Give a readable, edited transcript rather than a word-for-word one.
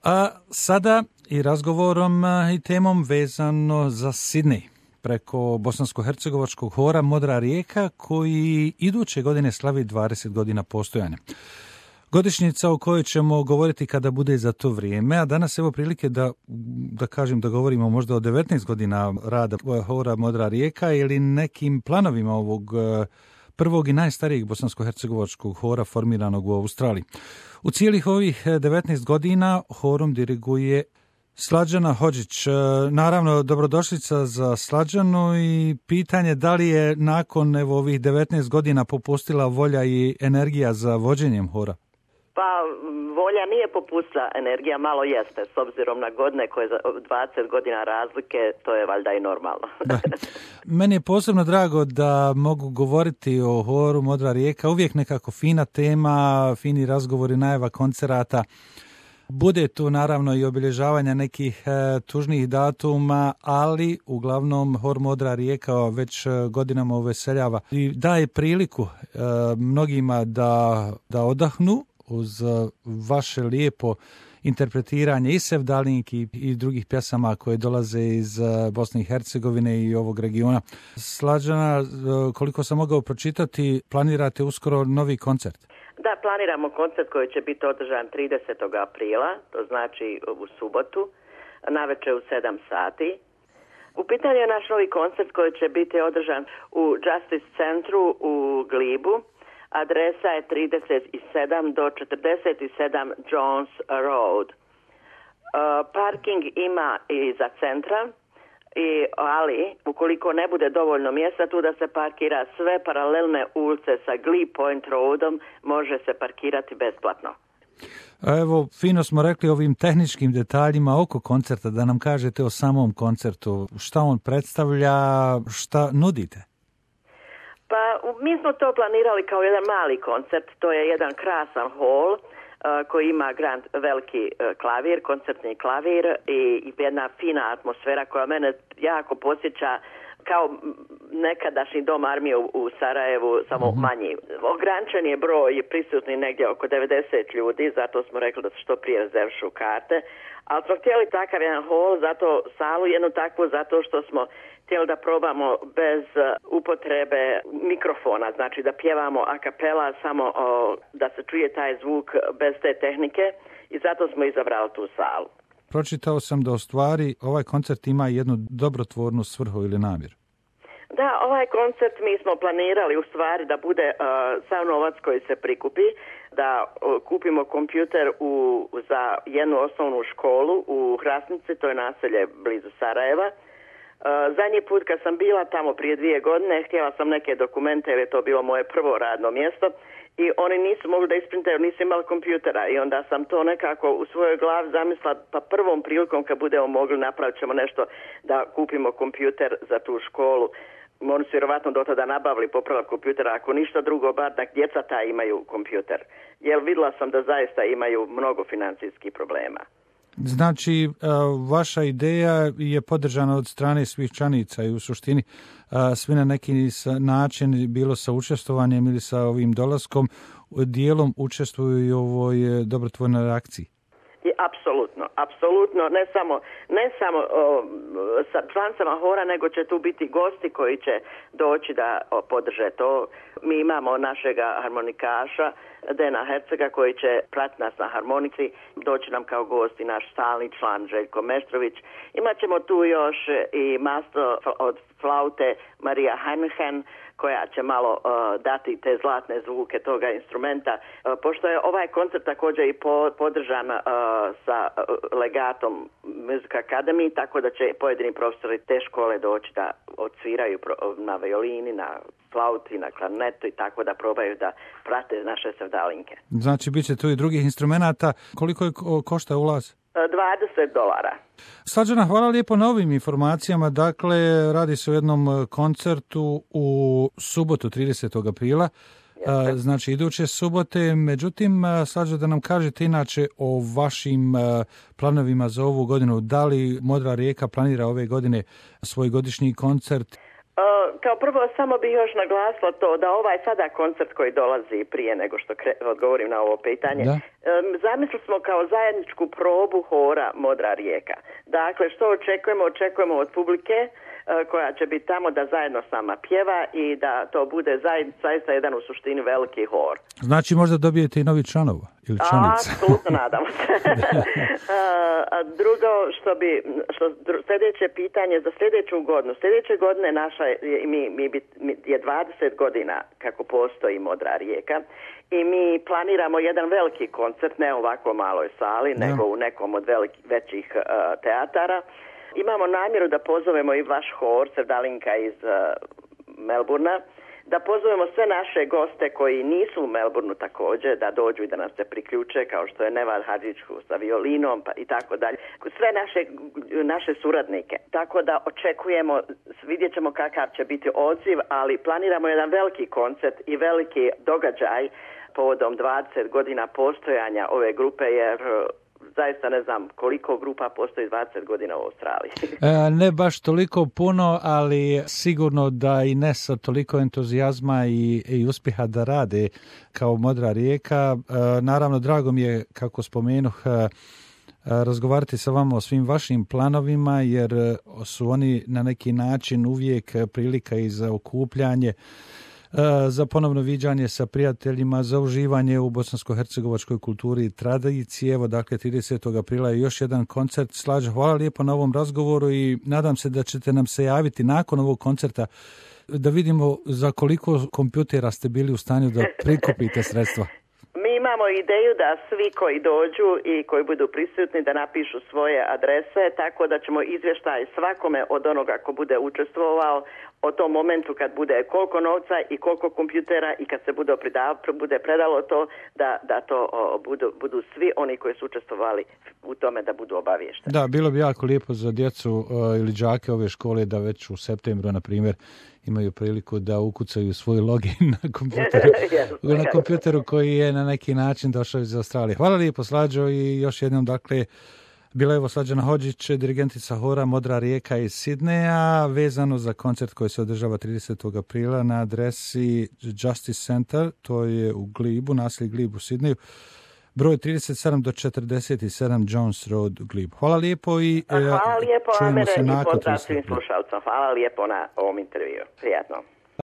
A sada i razgovorom i temom vezano za Sidney preko bosansko-hercegovačkog hora Modra rijeka koji iduće godine slavi 20 godina postojanja. Godišnjica o kojoj ćemo govoriti kada bude za to vrijeme, a danas evo prilike da govorimo možda o 19 godina rada hora Modra rijeka ili nekim planovima ovog prvog i najstarijeg bosansko-hercegovačkog hora formiranog u Australiji. U cijelih ovih 19 godina horom diriguje Slađana Hodžić. Naravno, dobrodošlica za Slađanu i pitanje da li je nakon ovih 19 godina popustila volja i energija za vođenjem hora? Pa volja nije popustila, energija malo jeste, s obzirom na godine koje za 20 godina razlike, to je valjda i normalno. Da. Meni je posebno drago da mogu govoriti o horu Modra rijeka, uvijek nekako fina tema, fini razgovori, najava koncerata. Bude tu naravno i obilježavanja nekih tužnih datuma, ali uglavnom hor Modra rijeka već godinama uveseljava i daje priliku mnogima da odahnu uz vaše lijepo interpretiranje i sevdalinki i drugih pjesama koje dolaze iz Bosne i Hercegovine i ovog regiona. Slađana, koliko sam mogao pročitati, planirate uskoro novi koncert? Da, planiramo koncert koji će biti održan 30. aprila, to znači u subotu, navečer u 7 sati. U pitanju je naš novi koncert koji će biti održan u Justice centru u Glibu. Adresa je 37 do 47 Jones Road. Parking ima i za centra, ali ukoliko ne bude dovoljno mjesta tu da se parkira, sve paralelne ulice sa Glebe Point Roadom može se parkirati besplatno. Evo, fino smo rekli ovim tehničkim detaljima oko koncerta, da nam kažete o samom koncertu. Šta on predstavlja, šta nudite? Pa mi smo to planirali kao jedan mali koncert, to je jedan krasan hol koji ima veliki klavir, koncertni klavir i jedna fina atmosfera koja mene jako posjeća kao nekadašnji dom armije u Sarajevu, samo manji. Ograničen je broj prisutni negdje oko 90 ljudi, zato smo rekli da se što prije rezervišu karte, ali smo htjeli takav jedan hol, zato salu jednu takvu, zato što smo htjeli da probamo bez upotrebe mikrofona, znači da pjevamo a cappella, samo da se čuje taj zvuk bez te tehnike i zato smo izabrali tu salu. Pročitao sam da u stvari ovaj koncert ima jednu dobrotvornu svrhu ili namjeru. Da, ovaj koncert mi smo planirali u stvari da bude sav novac koji se prikupi, da kupimo kompjuter za jednu osnovnu školu u Hrasnici, to je naselje blizu Sarajeva. Zadnji put kad sam bila tamo prije 2 godine, htjela sam neke dokumente jer je to bilo moje prvo radno mjesto i oni nisu mogli da isprintaju, nisu imali kompjutera i onda sam to nekako u svojoj glavi zamislila, pa prvom prilikom kad budemo mogli napravit ćemo nešto da kupimo kompjuter za tu školu. Oni su vjerovatno do tada nabavili popravak kompjutera, ako ništa drugo, bar da djeca ta imaju kompjuter. Jer vidjela sam da zaista imaju mnogo financijskih problema. Znači, vaša ideja je podržana od strane svih članica i u suštini svi na neki način, bilo sa učestvovanjem ili sa ovim dolaskom, dijelom učestvuju i u ovoj dobrotvornoj reakciji. Apsolutno, ne samo sa člancama hora, nego će tu biti gosti koji će doći da podrže to. Mi imamo našega harmonikaša Dena Hercega koji će pratiti nas na harmonici, doći nam kao gost i naš stalni član Željko Meštrović. Imaćemo tu još i maestro od flaute Marija Heinhen koja će malo dati te zlatne zvuke toga instrumenta. Pošto je ovaj koncert također i podržan sa legatom Music Academy, tako da će pojedini profesori te škole doći da odsviraju na violini, na flauti, na klarnetu i tako da probaju da prate naše sevdalinke. Znači, bit će tu i drugih instrumenata. Koliko je košta ulaz? $20. Slađana, hvala lijepo na ovim informacijama. Dakle, radi se o jednom koncertu u subotu 30. aprila, znači iduće subote. Međutim, Slađa, da nam kažete inače o vašim planovima za ovu godinu. Da li Modra rijeka planira ove godine svoj godišnji koncert? Kao prvo, samo bih još naglasila to da ovaj sada koncert koji dolazi prije nego što odgovorim na ovo pitanje, zamislili smo kao zajedničku probu hora Modra rijeka. Dakle, što očekujemo? Očekujemo od publike koja će biti tamo da zajedno s nama pjeva i da to bude zaista jedan u suštini veliki hor. Znači možda dobijete i novi članova ili članice? Apsolutno nadamo se. Drugo, sljedeće pitanje za sljedeću godinu. Sljedeće godine naša je 20 godina kako postoji Modra rijeka i mi planiramo jedan veliki koncert, ne ovako maloj sali, nego u nekom od većih teatara. Imamo namjeru da pozovemo i vaš hor, Sevdalinka iz Melburna, da pozovemo sve naše goste koji nisu u Melbourneu također, da dođu i da nas se priključe, kao što je Neval Hadžić sa violinom i tako dalje. Sve naše suradnike. Tako da očekujemo, vidjet ćemo kakav će biti odziv, ali planiramo jedan veliki koncert i veliki događaj povodom 20 godina postojanja ove grupe, jer zaista ne znam koliko grupa postoji 20 godina u Australiji. Ne baš toliko puno, ali sigurno da i ne sa toliko entuzijazma i uspjeha da rade kao Modra rijeka. Naravno, drago mi je, kako spomenuh, razgovarati sa vama o svim vašim planovima, jer su oni na neki način uvijek prilika i za okupljanje, za ponovno viđanje sa prijateljima, za uživanje u bosansko-hercegovačkoj kulturi i tradiciji. Evo, dakle, 30. aprila je još jedan koncert. Slađo, hvala lijepo na ovom razgovoru i nadam se da ćete nam se javiti nakon ovog koncerta da vidimo za koliko kompjutera ste bili u stanju da prikupite sredstva. Mi imamo ideju da svi koji dođu i koji budu prisutni da napišu svoje adrese, tako da ćemo izvještaj svakome od onoga ko bude učestvovao o tom momentu kad bude koliko novca i koliko kompjutera i kad se bude predalo to, da to budu svi oni koji su učestvovali u tome da budu obaviješteni. Da, bilo bi jako lijepo za djecu ili đake ove škole da već u septembru, na primjer, imaju priliku da ukucaju svoj login na kompjuteru koji je na neki način došao iz Australije. Hvala lijepo, Slađo, i još jednom, dakle, bila je Slađana Hodžić, dirigentica hora Modra rijeka iz Sidneja, vezano za koncert koji se održava 30. aprila na adresi Justice Center, to je u Glibu, naselje Glib u Sidneju, broj 37 do 47 Jones Road, Glib. Hvala lijepo i čujemo se nakon 30. Hvala lijepo na ovom intervju. Prijatno.